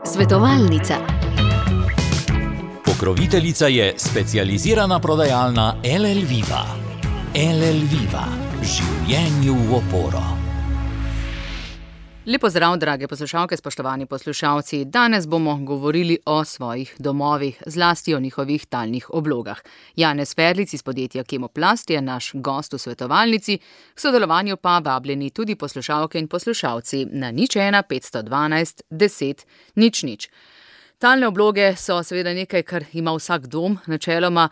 Svetovalnica. Pokroviteljica je specializirana prodajalna LL Viva. LL Viva. Življenju v oporo. Lep pozdrav, drage poslušalke, spoštovani poslušalci. Danes bomo govorili o svojih domovih, zlasti o njihovih talnih oblogah. Janez Ferlic iz podjetja Kemoplast je naš gost v svetovalnici, k sodelovanju pa vabljeni tudi poslušalke in poslušalci na 01 512 10 00. Talne obloge so seveda nekaj, kar ima vsak dom načeloma.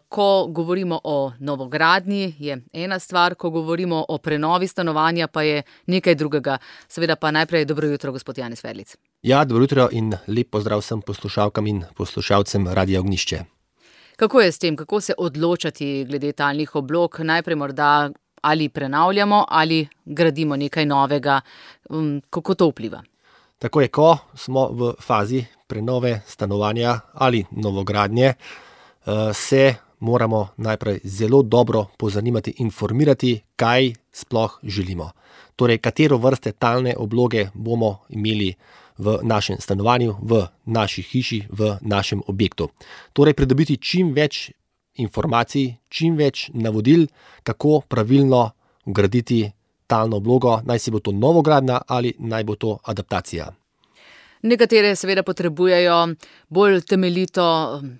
Ko govorimo o novogradnji, je ena stvar, ko govorimo o prenovi stanovanja, pa je nekaj drugega. Seveda pa najprej dobro jutro, gospod Janez Ferlic. Ja, dobro jutro in lep pozdrav vsem poslušalkam in poslušalcem Radia Ognjišče. Kako je s tem, kako se odločati glede talnih oblog? Najprej morda ali prenavljamo ali gradimo nekaj novega. Kako to vpliva? Tako je, ko smo v fazi prenove stanovanja ali novogradnje, se moramo najprej zelo dobro pozanimati, informirati, kaj sploh želimo. Torej, katero vrste talne obloge bomo imeli v našem stanovanju, v naši hiši, v našem objektu. Torej, pridobiti čim več informacij, čim več navodil, kako pravilno vgraditi talno oblogo, naj si bo to novogradnja ali naj bo to adaptacija. Nekatere seveda potrebujejo bolj temeljito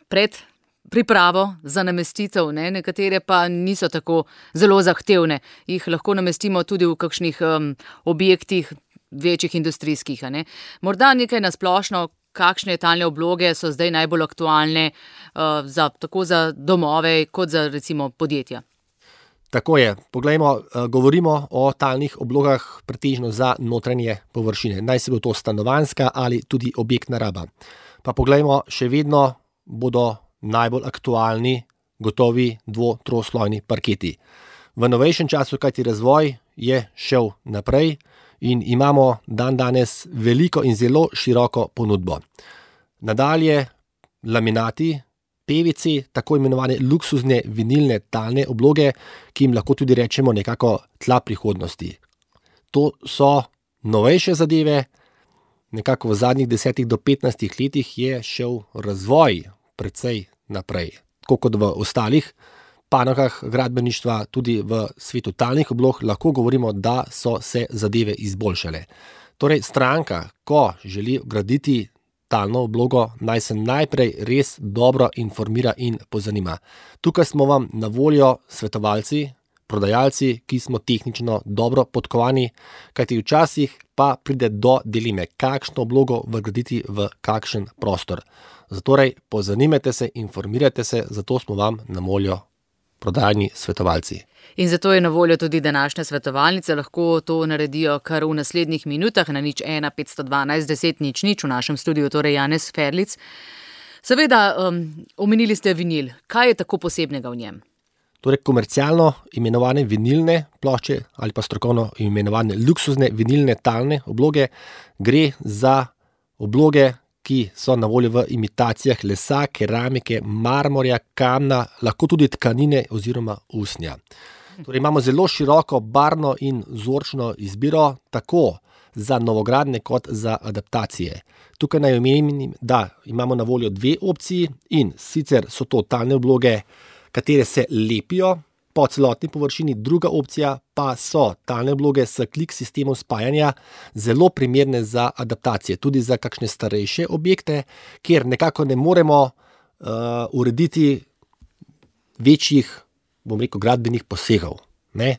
predpripravo za namestitev, nekatere pa niso tako zelo zahtevne. Jih lahko namestimo tudi v kakšnih objektih, večjih industrijskih. Morda nekaj na splošno, kakšne talne obloge so zdaj najbolj aktualne tako za domove kot za recimo podjetja. Tako je. Poglejmo, govorimo o talnih oblogah pretežno za notranje površine. Naj se bo to stanovanjska ali tudi objektna raba. Pa poglejmo, še vedno bodo najbolj aktualni gotovi dvo-troslojni parketi. V novejšem času, kajti razvoj je šel naprej in imamo dandanes veliko in zelo široko ponudbo. Nadalje laminati, PVC, tako imenovane luksuzne vinilne talne obloge, ki jim lahko tudi rečemo nekako tla prihodnosti. To so novejše zadeve, nekako v zadnjih 10 do 15 letih je šel razvoj precej naprej. Tako kot v ostalih panogah gradbeništva, tudi v svetu talnih oblog lahko govorimo, da so se zadeve izboljšale. Torej, stranka, ko želi graditi talno oblogo, naj se najprej res dobro informira in pozanima. Tukaj smo vam na voljo svetovalci, prodajalci, ki smo tehnično dobro podkovani, kajti včasih pa pride do dileme, kakšno oblogo vgraditi v kakšen prostor. Zatorej pozanimajte se, informirajte se, zato smo vam na voljo prodajni svetovalci. In zato je na voljo tudi današnja svetovalnica, lahko to naredijo kar v naslednjih minutah na 01 512 10 00 v našem studiu, torej Janez Ferlic. Seveda, omenili ste vinil. Kaj je tako posebnega v njem? Torej, komercialno imenovane vinilne plošče ali pa strokovno imenovane luksuzne vinilne talne obloge gre za obloge, ki so na voljo v imitacijah lesa, keramike, marmorja, kamna, lahko tudi tkanine oziroma usnja. Torej, imamo zelo široko barvno in vzorčno izbiro, tako za novogradnje kot za adaptacije. Tukaj naj omenim, da imamo na voljo dve opciji in sicer so to talne obloge, katere se lepijo po celotni površini, druga opcija pa so talne obloge s klik sistemom spajanja, zelo primerne za adaptacije, tudi za kakšne starejše objekte, kjer nekako ne moremo urediti večjih, gradbenih posegov.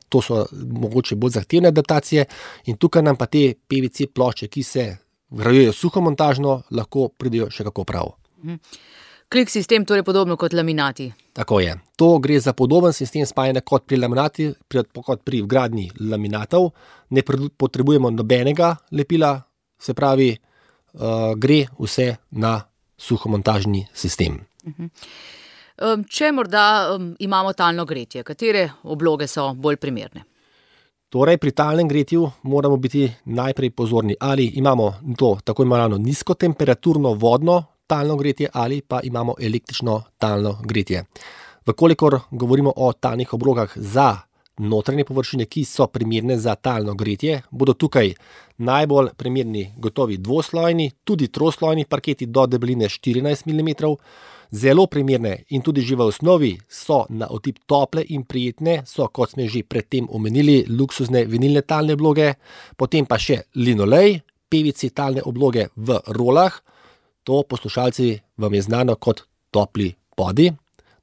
To so mogoče bolj zahtevne adaptacije in tukaj nam pa te PVC plošče, ki se vgrajujejo suhomontažno, lahko pridejo še kako prav. Klik sistem torej podobno kot laminati. Tako je. To gre za podoben sistem spajanja kot pri laminati, kot pri vgradnji laminatov. Ne potrebujemo nobenega lepila, se pravi, gre vse na suhomontažni sistem. Če morda imamo talno gretje, katere obloge so bolj primerne? Torej, pri talnem gretju moramo biti najprej pozorni, ali imamo to tako imenovano nizkotemperaturno vodno talno gretje ali pa imamo električno talno gretje. Vkolikor govorimo o talnih oblogah za notranje površine, ki so primerne za talno gretje, bodo tukaj najbolj primerni gotovi dvoslojni, tudi troslojni parketi do debeline 14 mm. Zelo primerne in tudi že v osnovi so na otip tople in prijetne, so, kot smo že predtem omenili, luksuzne vinilne talne obloge, potem pa še linolej, PVC talne obloge v rolah, to, poslušalci, vam je znano kot topli podi.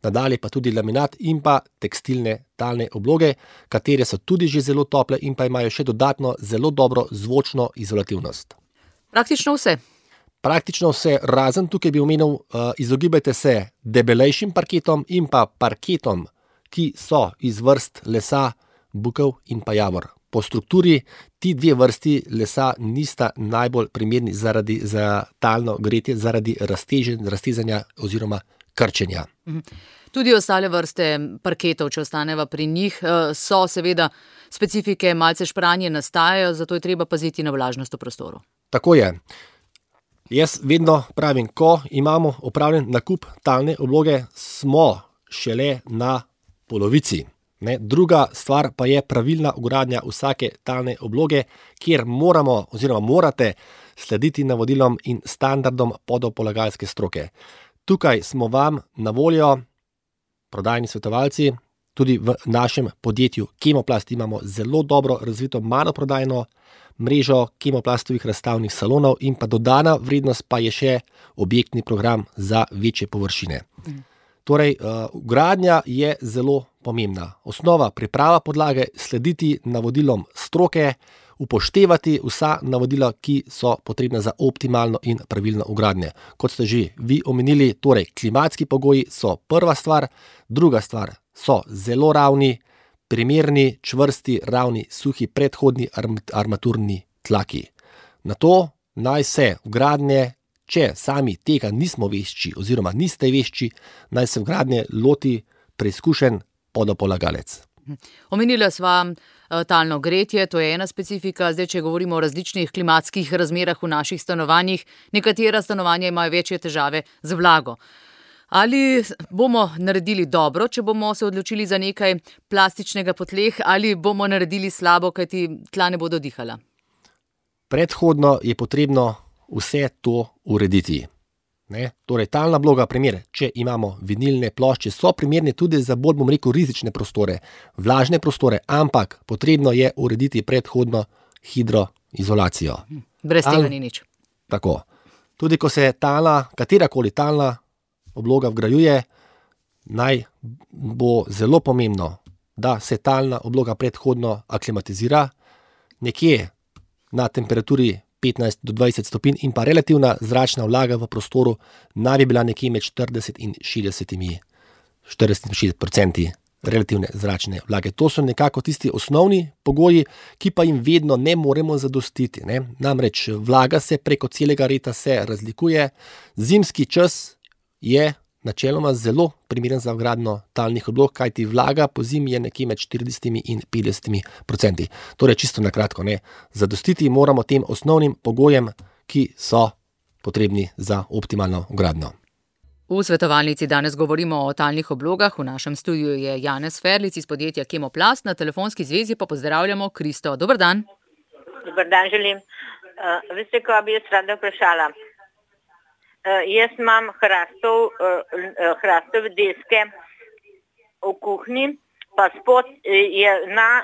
Nadalje pa tudi laminat in pa tekstilne talne obloge, katere so tudi že zelo tople in pa imajo še dodatno zelo dobro zvočno izolativnost. Praktično vse. Praktično vse, razen tukaj bi omenil, izogibajte se debelejšim parketom in pa parketom, ki so iz vrst lesa bukev in pa javor. Po strukturi ti dve vrsti lesa nista najbolj primerni za talno gretje, zaradi raztezanja oziroma krčenja. Tudi ostale vrste parketov, če ostaneva pri njih, so seveda specifike, malce špranje nastajajo, zato je treba paziti na vlažnost v prostoru. Tako je. Jaz vedno pravim, ko imamo opravljen nakup talne obloge, smo šele na polovici. Druga stvar pa je pravilna vgradnja vsake talne obloge, kjer moramo oziroma morate slediti navodilom in standardom podopolagalske stroke. Tukaj smo vam na voljo, prodajni svetovalci, tudi v našem podjetju Kemoplast imamo zelo dobro razvito maloprodajno mrežo kemoplastovih razstavnih salonov in pa dodana vrednost pa je še objektni program za večje površine. Torej, vgradnja je zelo pomembna. Osnova, priprava podlage, slediti navodilom stroke, upoštevati vsa navodila, ki so potrebna za optimalno in pravilno vgradnje. Kot ste že vi omenili, torej klimatski pogoji so prva stvar, druga stvar so zelo ravni, primerni, čvrsti, ravni, suhi, predhodni armaturni tlaki. Na to naj se vgradnje, če sami tega nismo vešči oziroma niste vešči, naj se vgradnje loti preizkušen podopolagalec. Omenila sva talno gretje, to je ena specifika. Zdaj, če govorimo o različnih klimatskih razmerah v naših stanovanjih, nekatera stanovanja imajo večje težave z vlago. Ali bomo naredili dobro, če bomo se odločili za nekaj plastičnega po tleh, ali bomo naredili slabo, kajti tla ne bodo dihala? Predhodno je potrebno vse to urediti. Torej, talna obloga, primer, če imamo vinilne plošče, so primerne tudi za bolj, bom rekel, rizične prostore, vlažne prostore, ampak potrebno je urediti predhodno hidroizolacijo. Brez tega ni nič. Tako. Tudi ko se katerakoli talna obloga vgrajuje, naj bo zelo pomembno, da se talna obloga predhodno aklimatizira nekje na temperaturi 15 do 20 stopinj in pa relativna zračna vlaga v prostoru naj bi bila nekje med 40 in 60% relativne zračne vlage. To so nekako tisti osnovni pogoji, ki pa jim vedno ne moremo zadostiti. Namreč vlaga se preko celega leta se razlikuje. Zimski čas je načeloma zelo primeren za vgradnjo talnih oblog, kajti vlaga po zimi je nekje med 40 in 50%. Torej, čisto na kratko, zadostiti moramo tem osnovnim pogojem, ki so potrebni za optimalno vgradnjo. V svetovalnici danes govorimo o talnih oblogah. V našem studiu je Janez Ferlic iz podjetja Kemoplast, na telefonski zvezi pa pozdravljamo Kristo. Dober dan. Dober dan želim. Veste, ko bi jaz rada vprašala? Jaz imam hrastove deske v kuhinji, pa spod je na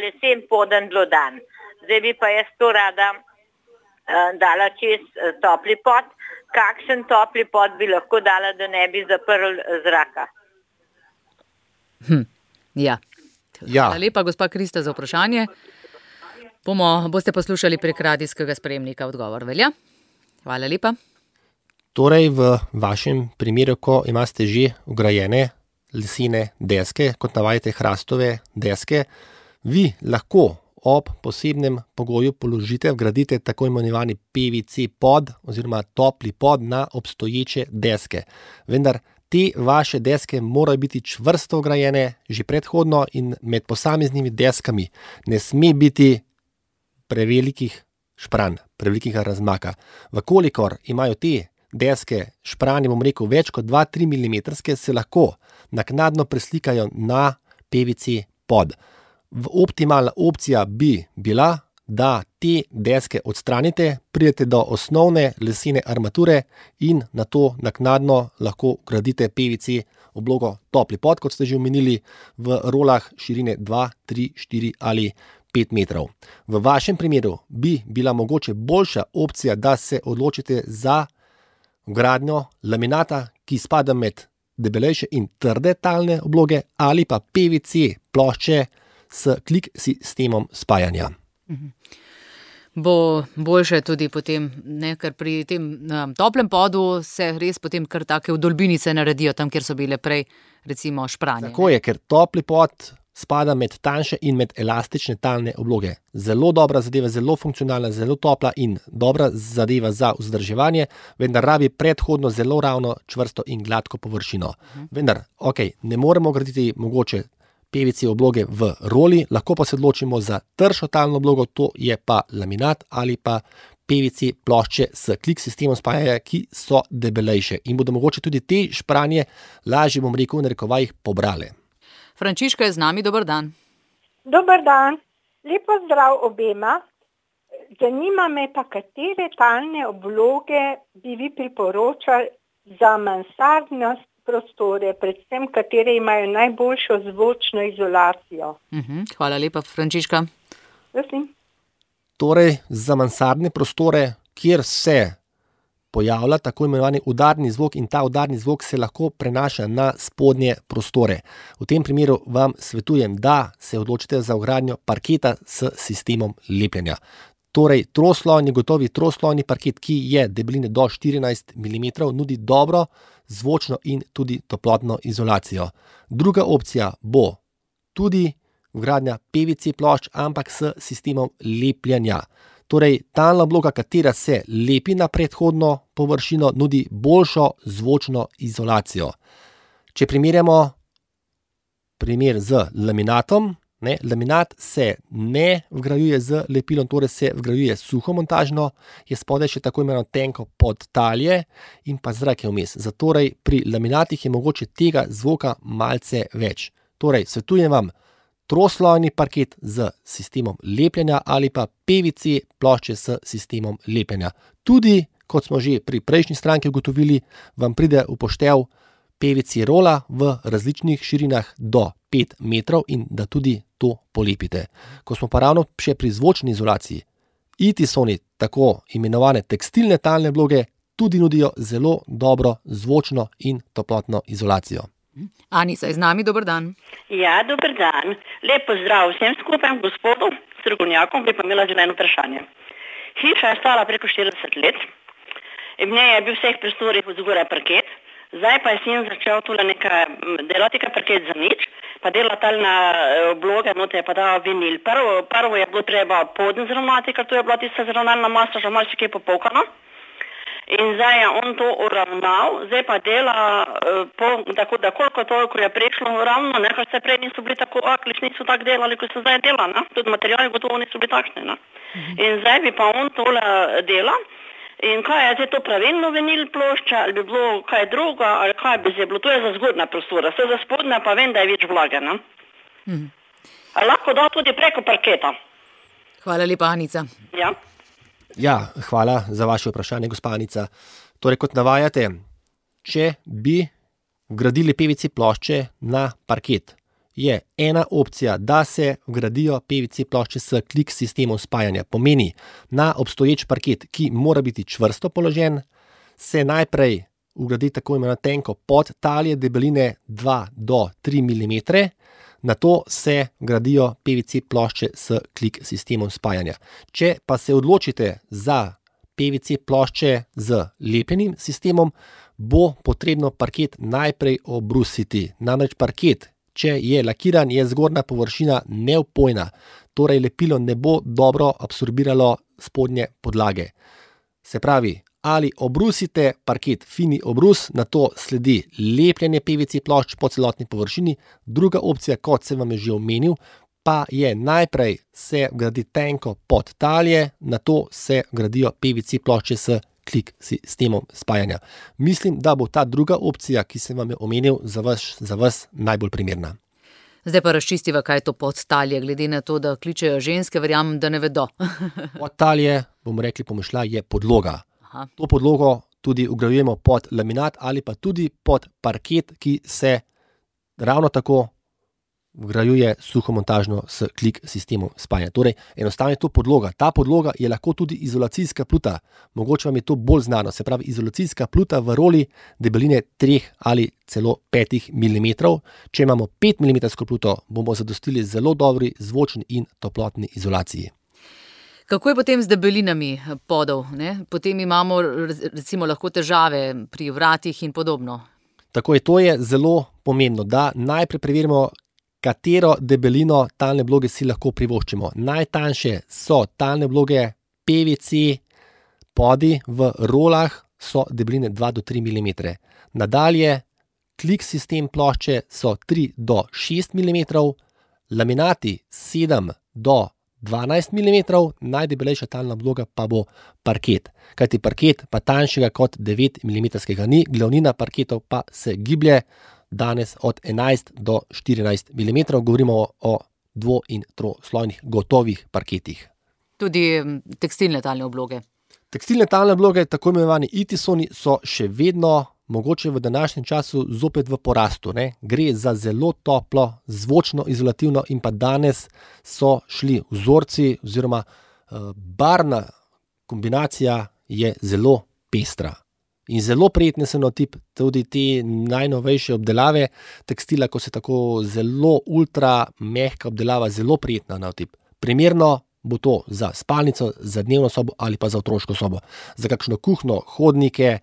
lesen poden dlodan. Zdaj bi pa jaz to rada dala čez topli pod. Kakšen topli pod bi lahko dala, da ne bi zaprl zraka? Ja. Hvala lepa, gospa Krista, za vprašanje. Boste poslušali prek radijskega sprejemnika odgovor, velja? Hvala lepa. Torej, v vašem primeru, ko imate že vgrajene lesene deske, kot navajate hrastove deske, vi lahko ob posebnem pogoju vgradite tako imenovani PVC pod oziroma topli pod na obstoječe deske. Vendar te vaše deske morajo biti čvrsto vgrajene že predhodno in med posameznimi deskami ne sme biti prevelikih špranj, prevelikega razmaka. Vkolikor imajo te deske špranje, bom rekel, več kot 2-3 mm, se lahko naknadno preslikajo na PVC pod. Optimalna opcija bi bila, da te deske odstranite, pridete do osnovne lesene armature in na to naknadno lahko vgradite PVC oblogo topli pod, kot ste že omenili, v rolah širine 2, 3, 4 ali 5 metrov. V vašem primeru bi bila mogoče boljša opcija, da se odločite za vgradnjo laminata, ki spada med debelejše in trde talne obloge, ali pa PVC plošče s klik sistemom spajanja. Bo boljše tudi potem, ne, ker pri tem toplem podu se res potem kar take vdolbinice naredijo, tam, kjer so bile prej recimo špranje. Tako je, ker topli pod spada med tanjše in med elastične talne obloge. Zelo dobra zadeva, zelo funkcionalna, zelo topla in dobra zadeva za vzdrževanje, vendar rabi predhodno zelo ravno, čvrsto in gladko površino. Vendar, ne moremo graditi mogoče PVC obloge v roli, lahko pa se odločimo za tršo talno oblogo, to je pa laminat ali pa PVC plošče s klik sistemom spajanja, ki so debelejše in bodo mogoče tudi te špranje lažje, bom rekel, v narekovajih pobrale. Frančiška je z nami, dober dan. Dober dan, lepo zdrav obema. Zanima me pa, katere talne obloge bi vi priporočali za mansardne prostore, predvsem katere imajo najboljšo zvočno izolacijo. Hvala lepa, Frančiška. Prosim. Torej, za mansardne prostore, kjer se pojavlja tako imenovani udarni zvok in ta udarni zvok se lahko prenaša na spodnje prostore. V tem primeru vam svetujem, da se odločite za vgradnjo parketa s sistemom lepljenja. Torej, gotovi troslojni parket, ki je debeline do 14 mm, nudi dobro zvočno in tudi toplotno izolacijo. Druga opcija bo tudi vgradnja PVC plošč, ampak s sistemom lepljenja. Torej, talna obloga, katera se lepi na predhodno površino, nudi boljšo zvočno izolacijo. Če primerjamo primer z laminatom, laminat se ne vgrajuje z lepilom, torej se vgrajuje suhomontažno, je spodaj še tako imenovano tenko podtalje in pa zrak je vmes. Zatorej pri laminatih je mogoče tega zvoka malce več. Torej, svetujem vam troslojni parket z sistemom lepljenja ali pa PVC plošče s sistemom lepljenja. Tudi, kot smo že pri prejšnji stranki ugotovili, vam pride v poštev PVC rola v različnih širinah do 5 metrov in da tudi to polepite. Ko smo pa ravno še pri zvočni izolaciji, Itisoni, tako imenovane tekstilne talne obloge, tudi nudijo zelo dobro zvočno in toplotno izolacijo. Anica je z nami, dober dan. Ja, dober dan. Lep pozdrav vsem skupaj, gospodu strokovnjakom, bi pa imela že eno vprašanje. Hiša je stala preko 40 let, in v njej je bil vseh prostorih vzgoraj parket, zdaj pa je sin začel tule delati parket za nič, pa dela talna obloga, note je pa dal vinil. Prvo je bilo treba podn zravnati, ker to je bila tista zravnalna masa, že malo še kaj popokano. In zdaj je on to uravnal, zdaj pa dela tako, da koliko toliko je prišlo ravno, ker se prej niso bili tako akliš, niso tako delali, kot se zdaj dela, tudi materijali gotovo niso bili takšni. In zdaj bi pa on tole dela. In kaj je zdaj to pravilno vinil plošča, ali bi bilo kaj druga, ali kaj bi zdaj bilo, to je za zgornja prostora, vse za spodnja pa vem, da je več vlage. Ali lahko da tudi preko parketa? Hvala lepa, Anica. Ja, hvala za vaše vprašanje, gospa Anica. Torej, kot navajate, če bi vgradili PVC plošče na parket, je ena opcija, da se vgradijo PVC plošče s klik sistemom spajanja. Pomeni, na obstoječ parket, ki mora biti čvrsto položen, se najprej vgradi tako imenovano tenko podtalje debeline 2 do 3 mm, nato se vgradijo PVC plošče s klik sistemom spajanja. Če pa se odločite za PVC plošče z lepljenim sistemom, bo potrebno parket najprej obrusiti. Namreč parket, če je lakiran, je zgornja površina neopojna, torej lepilo ne bo dobro absorbiralo spodnje podlage. Se pravi, ali obrusite parket, fini obrus, nato sledi lepljenje PVC plošč po celotni površini. Druga opcija, kot sem vam je že omenil, pa je najprej se vgradi tenko podtalje, nato se vgradijo PVC plošče s klik sistemom spajanja. Mislim, da bo ta druga opcija, ki sem vam jo omenil, za vas najbolj primerna. Zdaj pa razčistiva, kaj je to podtalje, glede na to, da kličejo ženske, verjamem, da ne vedo. Podtalje, bomo rekli pomišlja, je podloga. Aha. To podlogo tudi vgrajujemo pod laminat ali pa tudi pod parket, ki se ravno tako vgrajuje suhomontažno s klik sistemom spajanja. Torej, enostavno je to podloga. Ta podloga je lahko tudi izolacijska pluta. Mogoče vam je to bolj znano. Se pravi, izolacijska pluta v roli debeline 3 ali celo 5 mm. Če imamo 5 mm pluto, bomo zadostili zelo dobri zvočni in toplotni izolaciji. Kako je potem z debelinami podov, ne? Potem imamo recimo lahko težave pri vratih in podobno. Tako je, to je zelo pomembno, da najprej preverimo, katero debelino talne obloge si lahko privoščimo. Najtanjše so talne obloge PVC, podi v rolah so debeline 2 do 3 mm. Nadalje, klik sistem plošče so 3 do 6 mm, laminati 7 do 12 mm, najdebelejša talna obloga pa bo parket. Kajti parket pa tanjšega kot 9 mm ni, glavnina parketov pa se giblje danes od 11 do 14 mm, govorimo o dvo- in troslojnih gotovih parketih. Tudi tekstilne talne obloge. Tekstilne talne obloge, tako imenovani itisoni, so še vedno mogoče v današnjem času zopet v porastu. Ne? Gre za zelo toplo, zvočno izolativno in pa danes so šli vzorci oziroma barvna kombinacija je zelo pestra. In zelo prijetne so na otip tudi te najnovejše obdelave tekstila, ko se tako zelo ultra mehka obdelava, zelo prijetna na otip. Primerno bo to za spalnico, za dnevno sobo ali pa za otroško sobo. Za kakšno kuhno, hodnike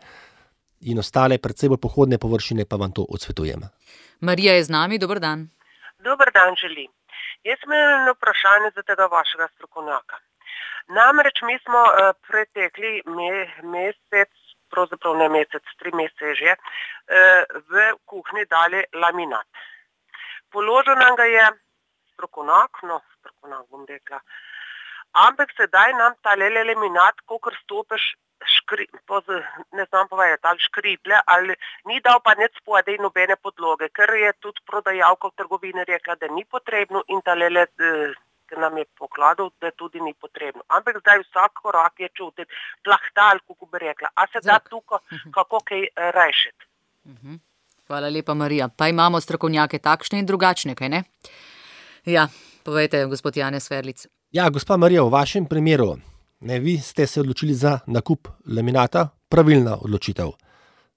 in ostale predvsej bolj pohodne površine pa vam to odsvetujem. Marija je z nami, dober dan. Dober dan želim. Jaz imam eno vprašanje za tega vašega strokovnjaka. Namreč mi smo pretekli mesec, pravzaprav ne mesec, 3 mesece že, v kuhinji dali laminat. Položil nam ga je strokovnjak bom rekla, ampak sedaj nam ta laminat, kakor stopiš, ne znam povedati, ali škriplje, ali ni dal pa nič spodaj nobene podloge, ker je tudi prodajalka v trgovini rekla, da ni potrebno in ta ki nam je pokladal, da tudi ni potrebno. Ampak zdaj vsak korak je čutil plahtal, kako bi rekla. A se da tukaj kako kaj rešiti? Hvala lepa, Marija. Pa imamo strokovnjake takšne in drugačne, kaj ne? Ja, povejte, gospod Janez Ferlic. Ja, gospa Marija, v vašem primeru, vi ste se odločili za nakup laminata, pravilna odločitev.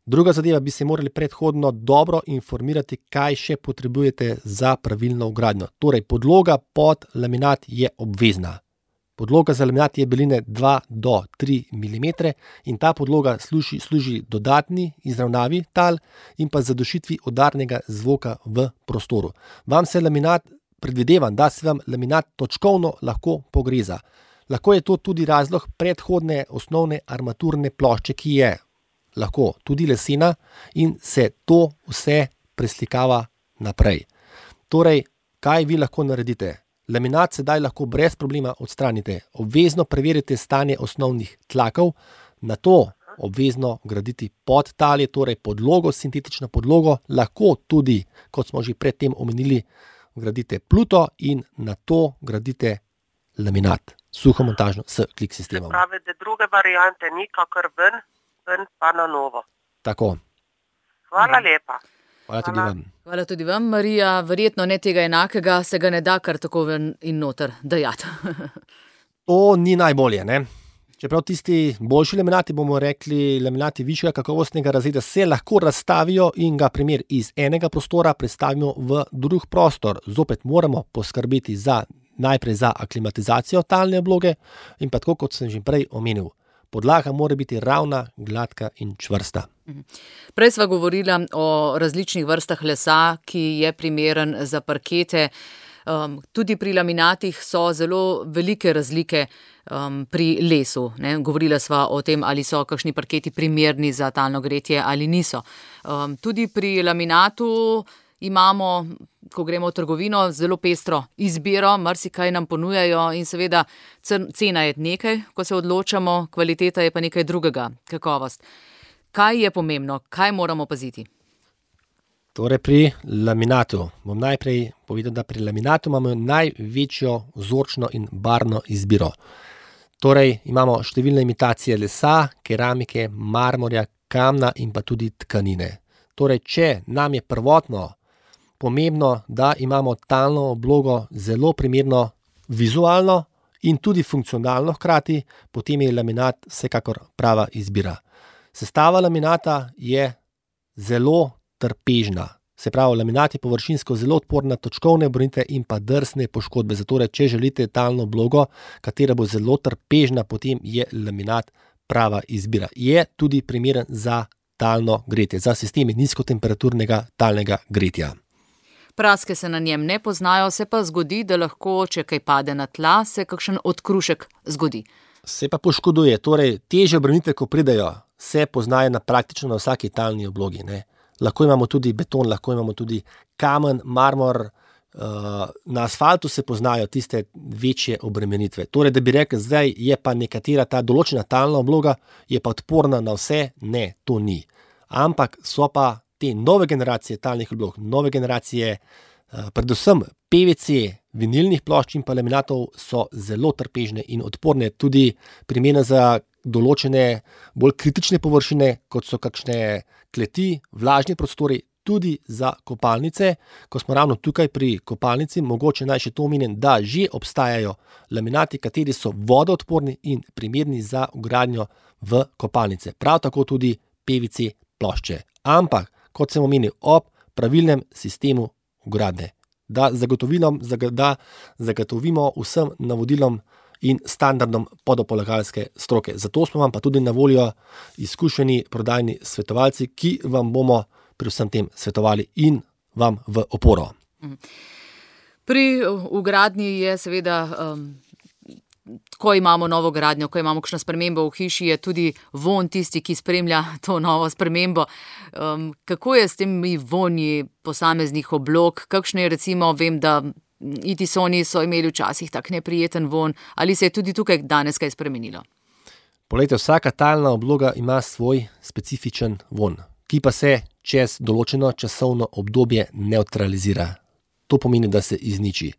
Druga zadeva, bi se morali predhodno dobro informirati, kaj še potrebujete za pravilno vgradnjo. Torej, podloga pod laminat je obvezna. Podloga za laminat je debeline 2 do 3 mm in ta podloga služi dodatni izravnavi tal in pa zadušitvi udarnega zvoka v prostoru. Vam se laminat, predvidevam, da se vam laminat točkovno lahko pogreza. Lahko je to tudi razlog predhodne osnovne armaturne plošče, ki je lahko tudi lesena in se to vse preslikava naprej. Torej, kaj vi lahko naredite? Laminat sedaj lahko brez problema odstranite. Obvezno preverite stanje osnovnih tlakov, nato obvezno graditi podtalje, torej podlogo, sintetično podlogo, lahko tudi, kot smo že predtem omenili, gradite pluto in nato gradite laminat, suhomontažno s klik sistemom. Se pravi, da druge variante ni, kakor ven pa na novo. Tako. Hvala lepa. Hvala tudi vam. Hvala tudi vam, Marija. Verjetno ne tega enakega, se ga ne da kar tako ven in noter dajati. To ni najbolje, ne? Čeprav tisti boljši laminati, bomo rekli laminati višjega kakovostnega razreda, se lahko razstavijo in ga primer iz enega prostora prestavimo v drug prostor. Zopet moramo poskrbeti najprej za aklimatizacijo talne obloge in pa tako, kot sem že prej omenil, podlaga mora biti ravna, gladka in čvrsta. Prej sva govorila o različnih vrstah lesa, ki je primeren za parkete. Tudi pri laminatih so zelo velike razlike pri lesu. Ne? Govorila sva o tem, ali so kakšni parketi primerni za talno gretje ali niso. Tudi pri laminatu imamo, ko gremo v trgovino, zelo pestro izbiro, marsikaj nam ponujajo in seveda cena je nekaj, ko se odločamo, kvaliteta je pa nekaj drugega, kakovost. Kaj je pomembno, kaj moramo paziti? Torej pri laminatu bom najprej povedal, da pri laminatu imamo največjo vzorčno in barvno izbiro. Torej imamo številne imitacije lesa, keramike, marmorja, kamna in pa tudi tkanine. Torej, če nam je prvotno pomembno, da imamo talno oblogo zelo primerno vizualno in tudi funkcionalno hkrati, potem je laminat vsekakor prava izbira. Sestava laminata je zelo trpežna. Se pravi, laminat je površinsko zelo odporen na točkovne obrnitve in pa drsne poškodbe. Zato, če želite talno oblogo, katera bo zelo trpežna, potem je laminat prava izbira. Je tudi primeren za talno gretje, za sisteme nizkotemperaturnega talnega gretja. Praske se na njem ne poznajo, se pa zgodi, da lahko, če kaj pade na tla, se kakšen odkrušek zgodi. Se pa poškoduje, torej težje obrnitve, ko pridejo, se poznajo praktično na vsaki talni oblogi, ne. Lahko imamo tudi beton, lahko imamo tudi kamen, marmor, na asfaltu se poznajo tiste večje obremenitve. Torej, da bi rekel, zdaj je pa nekatera ta določena talna obloga, je pa odporna na vse, ne, to ni. Ampak so pa te nove generacije talnih oblog, nove generacije, predvsem PVC, vinilnih plošč in pa laminatov so zelo trpežne in odporne, tudi primerne za določene bolj kritične površine, kot so kakšne kleti, vlažni prostori, tudi za kopalnice. Ko smo ravno tukaj pri kopalnici, mogoče naj še to omenim, da že obstajajo laminati, kateri so vodoodporni in primerni za vgradnjo v kopalnice. Prav tako tudi PVC plošče. Ampak, kot sem omenil, ob pravilnem sistemu vgradnje, da zagotovimo vsem navodilom in standardom podopolagalske stroke. Zato smo vam pa tudi na voljo izkušeni prodajni svetovalci, ki vam bomo pri vsem tem svetovali in vam v oporo. Pri vgradnji je seveda, ko imamo novo gradnjo, ko imamo kakšno spremembo v hiši, je tudi vonj tisti, ki spremlja to novo spremembo. Kako je s temi vonji posameznih oblog? Kakšno je recimo, vem, da Itisoni so imeli včasih tak neprijeten vonj, ali se je tudi tukaj danes kaj spremenilo? Poglejte, vsaka talna obloga ima svoj specifičen vonj, ki pa se čez določeno časovno obdobje nevtralizira. To pomeni, da se izniči.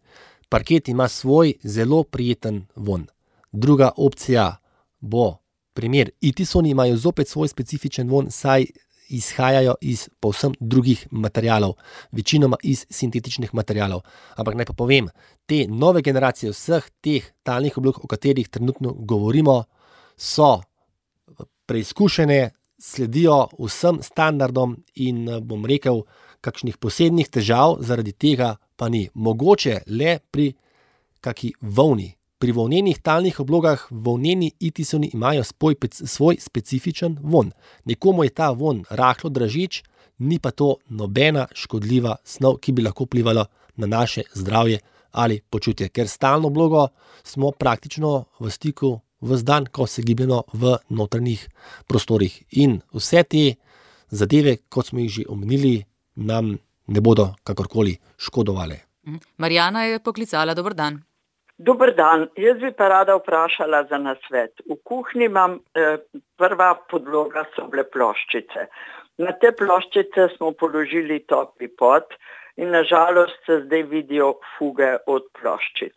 Parket ima svoj zelo prijeten vonj. Druga opcija bo primer Itisoni, imajo zopet svoj specifičen vonj, saj izhajajo iz povsem drugih materialov, večinoma iz sintetičnih materialov. Ampak naj pa povem, te nove generacije vseh teh talnih oblog, o katerih trenutno govorimo, so preizkušene, sledijo vsem standardom in bom rekel, kakšnih posebnih težav zaradi tega pa ni. Mogoče le pri kaki volni. Pri volnenih talnih oblogah volneni Itisoni imajo svoj specifičen vonj. Nekomu je ta vonj rahlo dražeč, ni pa to nobena škodljiva snov, ki bi lahko vplivala na naše zdravje ali počutje. Ker s talno oblogo smo praktično v stiku ves dan, ko se gibljeno v notranjih prostorih. In vse te zadeve, kot smo jih že omenili, nam ne bodo kakorkoli škodovale. Marjana je poklicala, dober dan. Dober dan, jaz bi pa rada vprašala za nasvet. V kuhinji imam prva podloga so bile ploščice. Na te ploščice smo položili topli pot in nažalost se zdaj vidijo fuge od ploščic.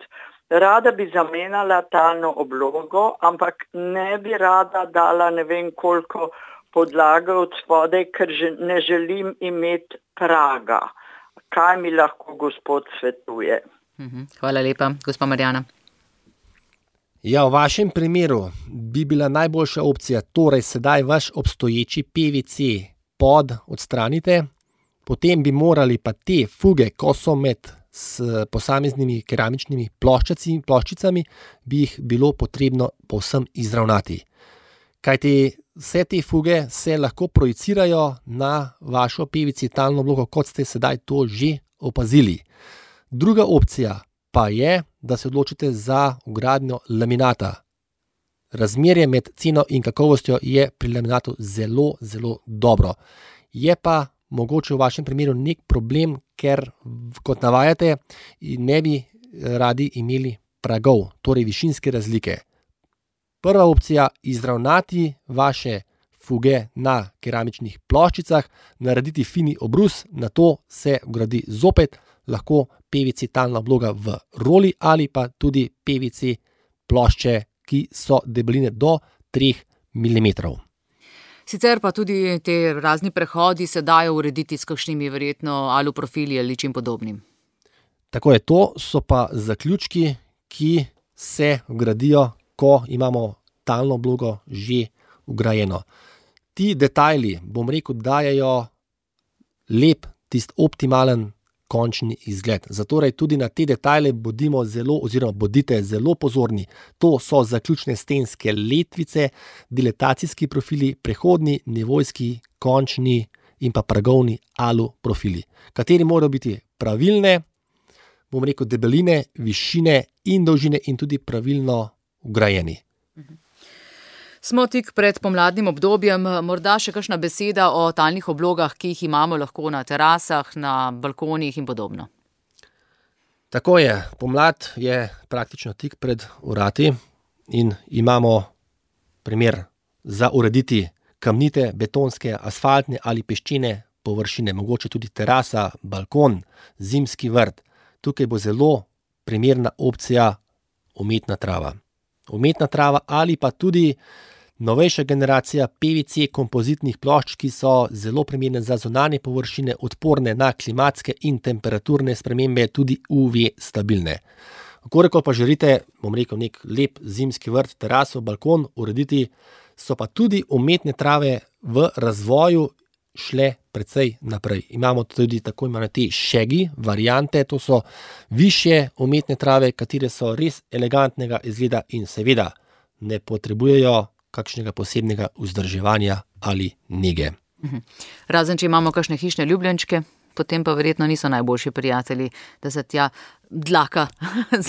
Rada bi zamenjala talno oblogo, ampak ne bi rada dala ne vem koliko podlage od spodaj, ker ne želim imeti praga. Kaj mi lahko gospod svetuje? Hvala lepa, gospa Marjana. Ja, v vašem primeru bi bila najboljša opcija, torej sedaj vaš obstoječi PVC pod odstranite, potem bi morali pa te fuge, ko so med s posameznimi keramičnimi ploščicami, bi jih bilo potrebno povsem izravnati. Kajti vse te fuge se lahko projicirajo na vašo PVC talno oblogo, kot ste sedaj to že opazili. Druga opcija pa je, da se odločite za vgradnjo laminata. Razmerje med ceno in kakovostjo je pri laminatu zelo, zelo dobro. Je pa mogoče v vašem primeru nek problem, ker, kot navajate, ne bi radi imeli pragov, torej višinske razlike. Prva opcija, izravnati vaše fuge na keramičnih ploščicah, narediti fini obrus, nato se vgradi zopet lahko PVC talna obloga v roli ali pa tudi PVC plošče, ki so debeline do 3 mm. Sicer pa tudi te razni prehodi se dajo urediti s kakšnimi verjetno aluprofili ali čim podobnim. Tako je, to so pa zaključki, ki se vgradijo, ko imamo talno oblogo že vgrajeno. Ti detajli, bom rekel, dajejo lep, optimalen končni izgled. Zatorej tudi na te detajle bodite zelo pozorni. To so zaključne stenske letvice, dilatacijski profili, prehodni, nivojski, končni in pa pragovni alu profili, kateri morajo biti pravilne, bom rekel, debeline, višine in dolžine in tudi pravilno vgrajeni. Smo tik pred pomladnim obdobjem, morda še kakšna beseda o talnih oblogah, ki jih imamo lahko na terasah, na balkonih in podobno. Tako je, pomlad je praktično tik pred vrati in imamo primer za urediti kamnite, betonske, asfaltne ali peščene površine, mogoče tudi terasa, balkon, zimski vrt. Tukaj bo zelo primerna opcija umetna trava. Umetna trava ali pa tudi novejša generacija PVC kompozitnih plošč, ki so zelo primerne za zunanje površine, odporne na klimatske in temperaturne spremembe, tudi UV stabilne. Koliko pa želite, bom rekel, nek lep zimski vrt, teraso, balkon urediti, so pa tudi umetne trave v razvoju šle precej naprej. Imamo tudi tako imenovane te shaggy variante, to so višje umetne trave, katere so res elegantnega izgleda in seveda ne potrebujejo kakšnega posebnega vzdrževanja ali nege. Razen, če imamo kakšne hišne ljubljenčke, potem pa verjetno niso najboljši prijatelji, da se tja dlaka.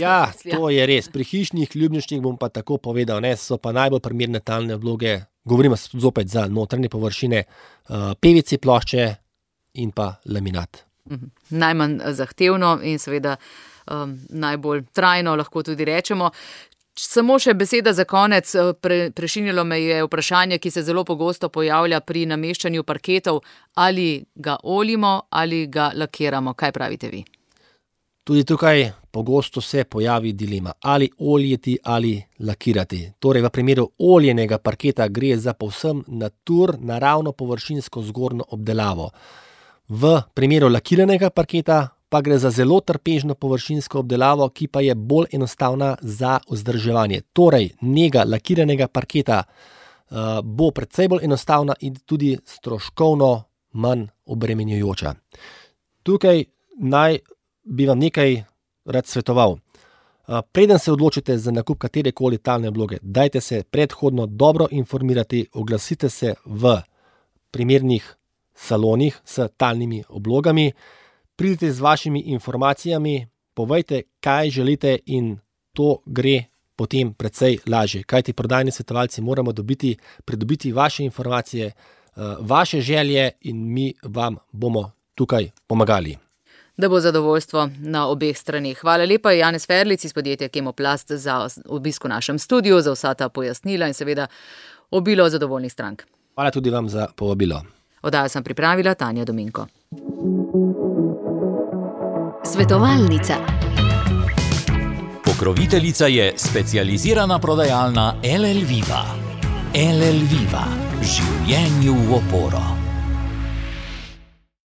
Ja, to je res. Pri hišnih ljubljenčkih bom pa tako povedal, so pa najbolj primerne talne obloge, govorimo zopet za notranje površine, PVC plošče in pa laminat. Najmanj zahtevno in seveda najbolj trajno, lahko tudi rečemo. Samo še beseda za konec, prešinilo me je vprašanje, ki se zelo pogosto pojavlja pri nameščanju parketov, ali ga oljimo ali ga lakiramo. Kaj pravite vi? Tudi tukaj pogosto se pojavi dilema, ali oljiti ali lakirati. Torej v primeru oljenega parketa gre za povsem naravno površinsko zgornjo obdelavo. V primeru lakiranega parketa pa gre za zelo trpežno površinsko obdelavo, ki pa je bolj enostavna za vzdrževanje. Torej, nega lakiranega parketa bo precej bolj enostavna in tudi stroškovno manj obremenjujoča. Tukaj bi vam nekaj rad svetoval. Preden se odločite za nakup katerekoli talne obloge, dajte se predhodno dobro informirati, oglasite se v primernih salonih s talnimi oblogami, pridite z vašimi informacijami, povejte, kaj želite in to gre potem precej lažje. Kajti prodajni svetovalci moramo pridobiti vaše informacije, vaše želje in mi vam bomo tukaj pomagali. Da bo zadovoljstvo na obeh straneh. Hvala lepa, Janez Ferlic iz podjetja Kemoplast, za obisk v našem studiu, za vsa ta pojasnila in seveda obilo zadovoljnih strank. Hvala tudi vam za povabilo. Oddajo sem pripravila Tanja Dominko. Svetovalnica. Pokroviteljica je specializirana prodajalna LL Viva. LL Viva. Življenju v oporo.